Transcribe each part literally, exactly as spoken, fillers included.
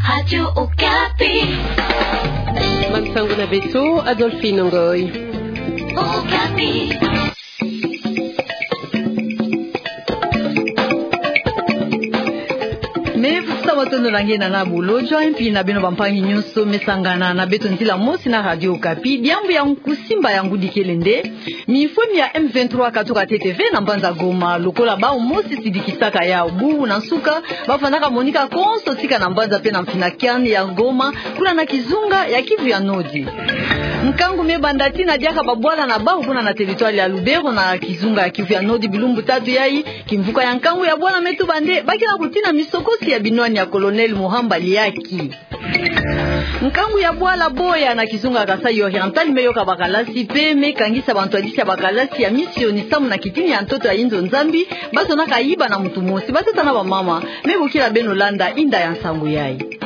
Radio Okapi. Bansangu na beto, Adolphine Ngoy. Okapi. Me fukisa matondo na nge na na bulo, jwa mpi na beno bampangi nyonso me sangana na beto nzila mosi na Radio Okapi. Diambu ya kusimba ya ngudi kele nde mifwemi ya M vingt-trois katuka ntete ve na mbanza Goma, lokola bawu mosi sidikisaka yawu bubu na nsuka, bafandaka monika konso tika na mbanza pe na mfina kiani ya Goma, kuna na kizunga ya Kivu ya Nodi. Nkangu me banda tii na diaka babwala na bawu kuna na territoire ya Lubero na kizunga ya Kivu ya Nodi bilumbu tatu yayi, kimvuka ya nkangu ya bwala me tuba nde ba ke na kutina misokosi ya binwani ya Colonel Muhamba Liaki. Nkangu ya bwala Boya na kizunga ya Kasaï Oriental me yoka bakalasi pe me kangisa bantwadisi ya bakalasi ya misioni samu na kitini ya ntoto ya inzo Nzambi, ba zonaka yiba na mutu mosi, batata na bamama, me bokila beno landa inda ya nsangu yayi.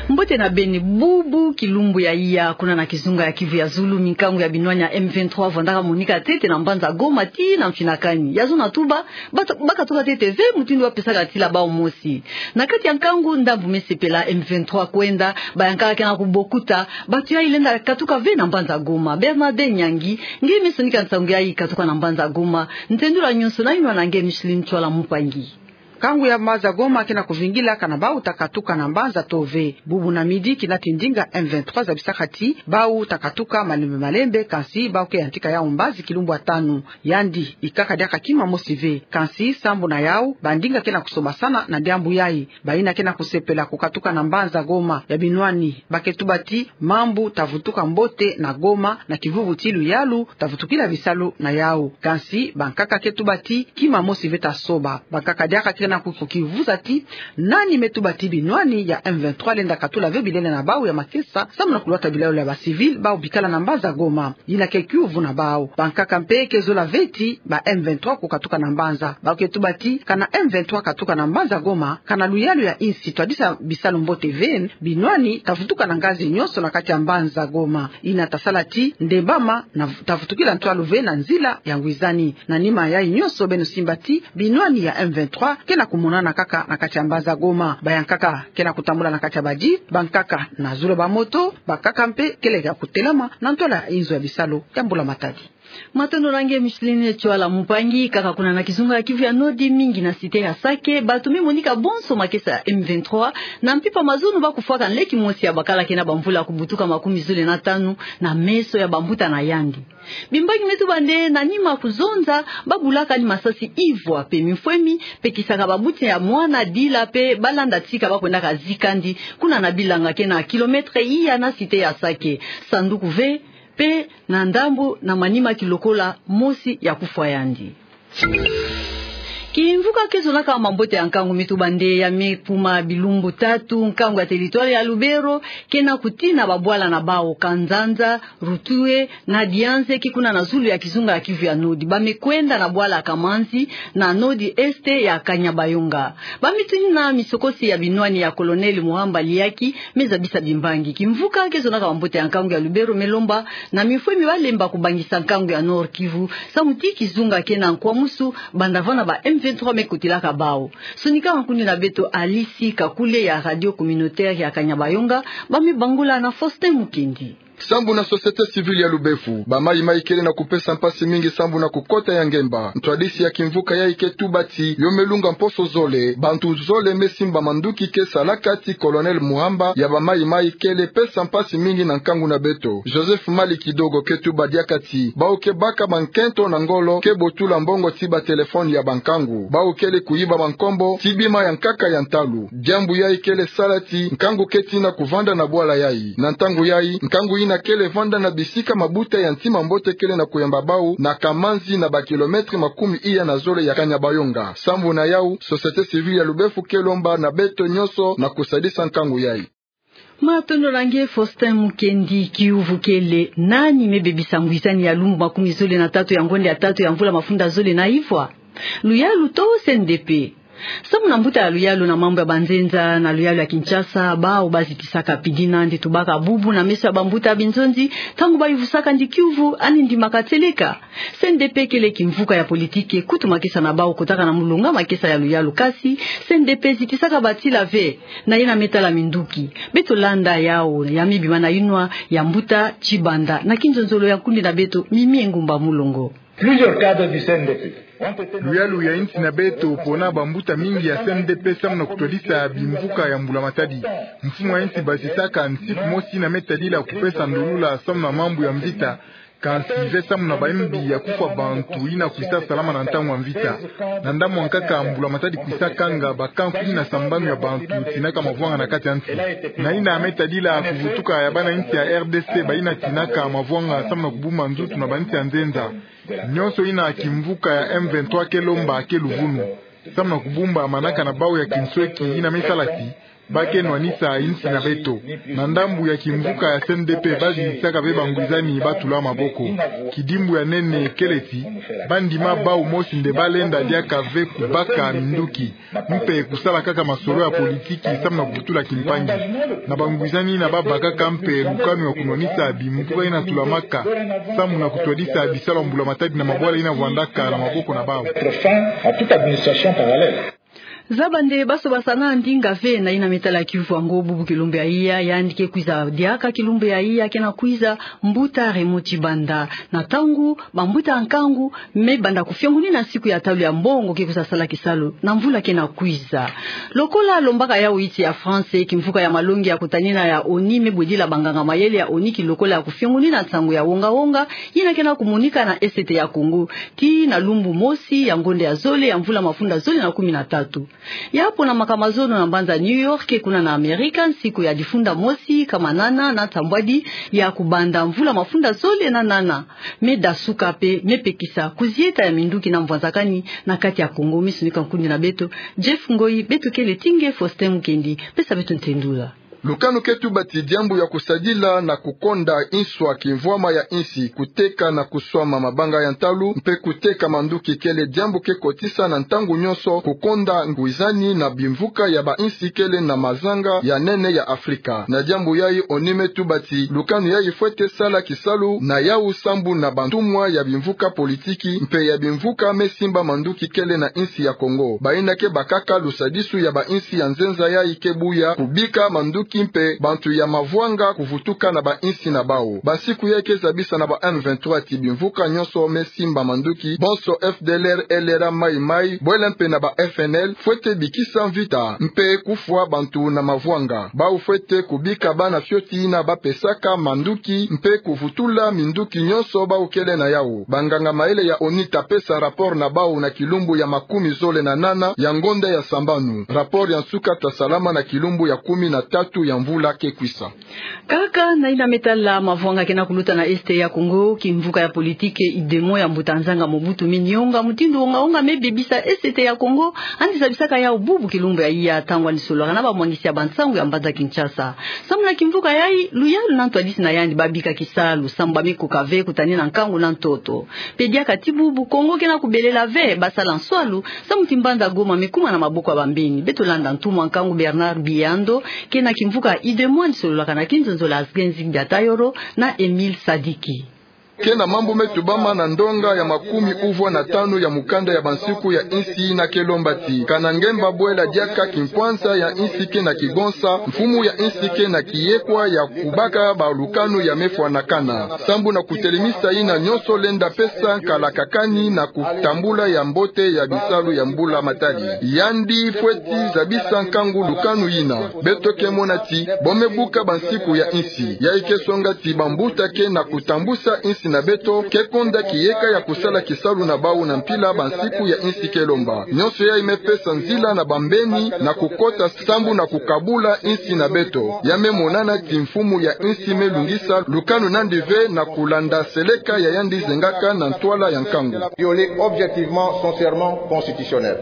Mbote na beni, bubu kilumbu ya iya, kuna na kizunga ya Kivu ya Zulu, minkangu ya binwani ya M vingt-trois vandaka monika ntete na mbanza Goma tii na mfina kani. Ya zona tuba, ba, ba katuka ntete ve mutindu ba pesaka tila bawu mosi. Na kati ya nkangu, ndambu me sepela M vingt-trois kwenda, bayankaka ke na kubokuta, batu yayi lenda katuka ve na mbanza Goma. Bernard Nyangi, nge me sonika nsangu yayi katuka na mbanza Goma. Ntendula nyonso na yinwa na nge Micheline Tchwala Mupangi. Nkangu ya mbanza Goma ke na kuvingila kana bawu ta katuka na mbanza to ve. Bubu na midi kina ti ndinga M vingt-trois zabisaka ti bawu ta katuka malembe malembe, kansi bawu ke yantika yawu mbazi kilumbu ya tanu. Yandi ikaka diaka kima mosi ve. Kansi sambu na yawu, bandinga ke na kusobasana na diambu yayi. Bayina ke na kusepela kukatuka na mbanza Goma ya binwani, ba ke tuba ti mambu ta vutuka mbote na Goma, na kivuvu ti luyalu ta vutukila bisalu na yawu. Kansi bankaka ke tuba ti kima mosi ve ta soba. Bankaka diaka ke na ku-, kukivuza ti nani me tuba ti binwani ya M vingt-trois lenda katula ve bilele na bawu ya makesa, samu na kulwata bilalu ya ba civil bawu bikala na mbanza Goma. Yina ke kiuvu na bawu. Bankaka mpe ke zola ve ti ba M vingt-trois kukatuka na mbanza. Bawu ke tuba ti kana M vingt-trois katuka na mbanza Goma, kana luyalu ya insi twadisa bisalu mbote ve, binwani ta vutuka na ngazi nyonso na kati ya mbanza Goma. Yina ta sala ti ndembama na v-, ta vutukila ntwalu ve na nzila ya ngwizani. Na nima yayi nyonso, beno simba ti binwani ya M vingt-trois ke na kumonana kaka na kati ya mbanza Goma. Bayankaka ke na kutambula na kati ya ba jeep, bankaka na zulu ya ba moto, bankaka mpe kele ya kutelama na ntwala ya inzo ya bisalu ya mbula matadi. Matondo na nge Micheline Tchwala Mupangi. Kaka kuna na kizunga ya Kivu ya Nodi, mingi na cité ya Sake, batu me monika bonso makesa ya M vingt-trois, na mpimpa mazono ba kufwaka nleki mosi ya bakala ke na bamvula kubutuka makumi zole na tanu na meso ya bambuta na yandi. Bimbangi me tuba nde na nima kuzonza, ba bulaka ni masasi ivwa pe mifwemi, pekisaka babuti ya mwana dila pe ba landa tika ba kwendaka zika yandi kuna na bilanga ke na kilomètre iya na cité ya Sake. Sanduku ve, pe na ndambu na manima kilokola mosi ya kufwa yandi. Kimvuka ke zonaka mambote ya nkangu me tuba nde ya me kuma bilumbu tatu, nkangu ya territoire ya Lubero ke na kutina babwala na bawu Kanzanza, Rutue na Dianzeke, kuna na zulu ya kizunga ya Kivu ya Nodi. Ba me kwenda na bwala Kamanzi na Nord-Est ya Kanyabayonga. Ba me tina misokosi ya binwani ya Colonel Muhamba Liaki me zabisa bimbangi. Kimvuka ke zonaka mambote ya nkangu ya Lubero me lomba na mifwemi ba lemba kubangisa nkangu ya Nord-Kivu, samu ti kizunga ke na nkwamusu, banda vana ba M vingt-trois me kotilaka bawu. Sonika nkundi na beto Alice Kakule ya radio communautaire ya Kanyabayonga, ba me bangula na Faustin Mukendi. Sambu na société civile ya Lubefu, ba mayi-mayi kele na kupesa mpasi mingi sambu na kukota ya ngemba. Ntwadisi ya kimvuka yayi ke tuba ti yo me lunga mposo zole, bantu zole me simba manduki ke salaka ti Colonel Muhamba ya ba mayi-mayi kele pesa mpasi mingi na nkangu na beto. Joseph Mali Kidogo ke tuba diaka ti bawu ke baka bankento na ngolo ke botula mbongo ti ba téléphone ya bankangu. Bawu kele kuyiba bankombo ti bima ya nkaka ya ntalu. Diambu yayi kele sala ti nkangu ke tina kuvanda na bwala yayi. Na ntangu yayi, nkangu yina kele vanda na bisika mabuta ya ntima mbote kele na kuyamba bawu na Kamanzi, na ba kilomètre makumi iya na zole ya Kanyabayonga. Sambu na yawu, société civile ya Lubefu ke lomba na beto nyonso na kusadisa nkangu yayi. Matondo na nge Faustin Mukendi. Kiuvu kele: nani me bebisa ngwizani ya lumbu makumi zole na tatu ya ngonde ya tatu ya mvula mafunda zole na ivwa? Luyalu to C N D P? Samu na mbuta ya luyalu na mambu ya banzenza na luyalu ya Kinshasa, bawu bazitisaka pidina ndi tubaka bubu na meso ya bambuta ya binzonzi, ntangu bayuvusaka ndi kiuvu, ani ndimaka tseleka. C N D P kele kimvuka ya politiki, kutu makesa na bawu kotaka na mulonga makesa ya luyalu, kasi C N D P zitisaka batila ve, na yena me tala minduki. Beto landa yawu, ya me bima na yinwa ya mbuta Tshibanda, na kinzonzolo ya nkundi na beto, Mimi Engumba Mulongo. Plusieurs cadres du C N D P ont été Luyalu ya insi na beto pona bambuta mingi ya C N D P samu na kutwadisa bimvuka ya Mbula Matadi. Mfumu ya insi basisaka nsiku mosi yina me tadila kupesa ndolula samu na mambu ya mvita, kansi ve samu na bayimbi ya kufwa bantu yina kwisa salama na ntangu ya mvita. Na ndambu ya nkaka Mbula Matadi kwisa kanga bakanku kumi na sambanu ya bantu tinaka mavwanga na kati ya nsi. Na yina me tadila kuvutuka ya bana insi ya R D C bayina tinaka mavwanga samu na kubumba nzutu na bainsi ya nzenza. Nyonso yina kimvuka ya M vingt-trois ke lomba ke luvunu. Samu na kubumba manaka na bawu ya kinsweki yina me sala ti ba ke nwanisa insi na beto. Na ndambu ya kimvuka ya C N D P bazitisaka ve bangwizani batula maboko. Kidimbu ya nene kele ti, bandima bawu mosi nde balenda diaka ve kubaka minduki, mpe kusala kaka masolo ya politiki samu na kuvutula kimpangi. Na bangwizani yina babakaka mpe lukanu ya kunwanisa bimvuka yina tulamaka, samu na kutwadisa bisalu ya Mbula Matadi na mabwala yina vwandaka na maboko na bawu. Mettre fin à toute administration parallèle. Zaba nde baso basana ndinga ve na yina me tala kiuvu yango bubu kilumbu ya iya, yandi ke kwiza diaka kilumbu ya iya ke na kwiza, mbuta Raymond Tshibanda. Na ntangu bambuta ya nkangu me banda kufiongonina nsiku ya talu ya mbongo ke kwiza sala kisalu na mvula ke na kwiza. Lokola lombaka yawu insi ya France, kimvuka ya malongi ya kutanina ya ONU me bwedila banganga mayele ya ONU kilokola ya kufiongonina nsangu ya wonga-wonga yina ke na kumonika na Est ya Congo, tii na lumbu mosi ya ngonda ya zole ya mvula mafunda zole na kumi na tatu. Ya ponamaka mazono na mbanza New York, kuna na Amerika, nsiku ya difunda mosi, kama nana na nsambwadi ya kubanda mvula mafunda zole na nana. Me dasuka mpe me pekisa kuzieta ya minduki na mvwanzakani na kati ya Congo. Misonika nkundi na beto, Jeff Ngoi, beto kele ti nge Faustin Mukendi, pesa beto ntendula. Lukanu ke tuba ti diambu ya kusadila na kukonda nswa kimvwama ya insi, kuteka na kuswama mabanga ya ntalu, mpe kuteka manduki kele diambu ke kotisa na ntangu nyonso kukonda ngwizani na bimvuka ya bainsi kele na mazanga ya nene ya Afrika. Na diambu yayi ONU me tuba ti lukanu yayi fwete sala kisalu na yawu sambu na bantumwa ya bimvuka politiki mpe ya bimvuka me simba manduki kele na insi ya Congo. Bayina ke bakaka lusadisu ya bainsi ya nzenza yayi ke buya kubika manduki mpe bantu ya mavwanga kuvutuka na bainsi na bawu. Bansiku yayi ke zabisa na ba M vingt-trois ti bimvuka nyonso me simba manduki, bonso F D L R, L R A, Mai Mai, bwela mpe na ba F N L, fwete bikisa mvita mpe kufwa bantu na mavwanga. Bawu fwete kubika bana fioti yina bapesaka manduki mpe kuvutula minduki nyonso bawu kele na yawu. Banganga mayele ya ONU ta pesa rapport na bawu na kilumbu ya makumi zole na nana ya ngonda ya sambanu. Rapport ya nsuka ta salama na kilumbu ya kumi na tatu ya mvula ke kwisa. Kaka na yina me tala mavwanga ke na kuluta na Est ya Congo, kimvuka ya politiki UDEMO ya mbuta nzanga Mobutu me nionga mutindu wonga-wonga me bebisa Est ya Congo, yandi zabisaka yawu bubu kilumbu ya iya ntangu yandi sololaka na bamwangisi ya bansangu ya mbanza Kinshasa. Samu na kimvuka yayi, luyalu na ntwadisi na yandi babika kisalu, samu ba me koka ve kutanina nkangu na ntoto. Mpe diaka ti bubu, Congo ke na kubelela ve basala nswalu, samu ti mbanza Goma me kuma na maboko ya bambeni. Beto landa ntumwa nkangu Bernard Biyando, ke na kimvuka UDEMO, yandi sololaka na kinzonzolo ya Asgenzi Biatayoro na Emile Sadiki. Ke na mambu me tubama na ndonga ya makumi uvwa na tanu ya mukanda ya bansiku ya insi yina ke lomba ti, kana ngemba bwela diaka kimpwanza ya insi ke na kigonsa, mfumu ya insi ke na kiyekwa ya kubaka balukanu ya me fwanakana. Sambu na kutelemisa yina nyonso, lenda pesa nkalakakani na kutambula ya mbote ya bisalu ya Mbula Matadi. Yandi fweti zabisa nkangu lukanu yina. Beto ke mona ti bo me buka bansiku ya insi. Yayi ke songa ti bambuta ke na kutambusa insi na beto ke konda kiyeka ya kusala kisalu na bawu na mpila bansiku ya insi ke lomba. Nyonso yayi me pesa nzila na bambeni na kukota sambu na kukabula insi na beto. Ya me monana ti mfumu ya insi me lungisa lukanu na yandi ve na kulanda seleka ya yandi zengaka na ntwala ya nkangu. Violer objectivement son serment constitutionnel.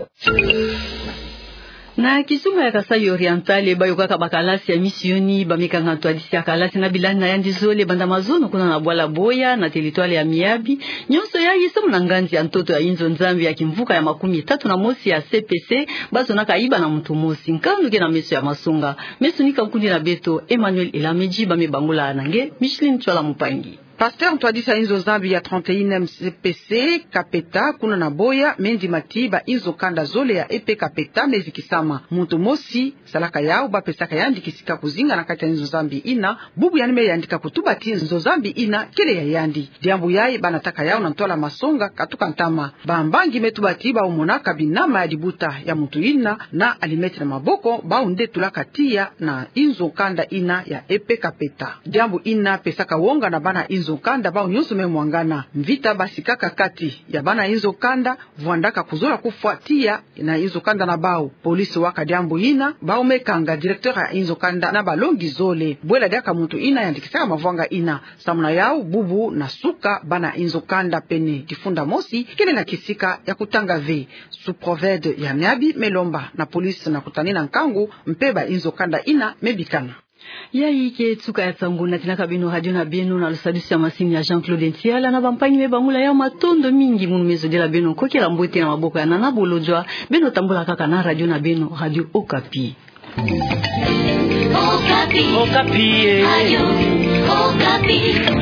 Na kizunga ya Kasaï Oriental, bayo kaka ba kalasi ya misioni bamekanga ntwadisi ya kalasi na bilani na yandi zole banda mazono kuna na bwala Boya na territoire ya Miabi. Nyonso yayi samu na nganzi ya ntoto ya inzo Nzambi ya kimvuka ya makumi tatu na mosi ya C P C, bazonaka iba na muntu mosi. Nkanu ke na meso ya masonga. Meso nika nkundi na beto, Emmanuel Elamedji, bamebangula na nge Micheline Tchwala Mupangi. Pasteur ntwadisi ya inzo Nzambi ya trente et unième C P C Kapeta, kuna na Boya, me ndima ti ba inzo kanda zole ya E P Kapeta mezikisama. Muntu mosi salaka yau, bapesaka yandi kisika kuzinga na kati ya inzo Nzambi ina, bubu yandi me yandika kutuba ti nzo Nzambi ina kele ya yandi. Diambu yayi bana taka yau na ntwala masonga katuka ntama. Bambangi me tuba ti bau monaka binama ya dibuta ya muntu ina na allumette na maboko, bau nde tulaka tiya na inzo kanda ina ya E P Kapeta. Diambu ina pesaka wonga na bana inzo kanda bau nyonso me mwangana. Mvita basikaka kati ya bana inzo kanda, vwandaka kuzola kufwa tiya na inzo kanda na bau. Police waka diambu ina, bau me kanga directeur ya inzo kanda na balongi zole. Bwela diaka muntu ina yandikisaka mavwanga ina. Samu na yau, bubu na suka bana inzo kanda pene difunda mosi kele na kisika ya kutanga ve. Sous-préfet ya Miabi me lomba na police na kutanina nkangu, mpe ba inzo kanda ina me bikana. Yayi ke suka ya nsangu natinaka beno radio na beno na lusadusu ya masini ya Jean-Claude Ntiala. Na bampangi me bangula yau, matondo mingi. Munu me zodila beno nkokela mbote na maboko ya Nana Bolodjwa. Beno tambula kaka na radio na beno, Radio Okapi. Okapi. Okapi, eh. Radio Okapi.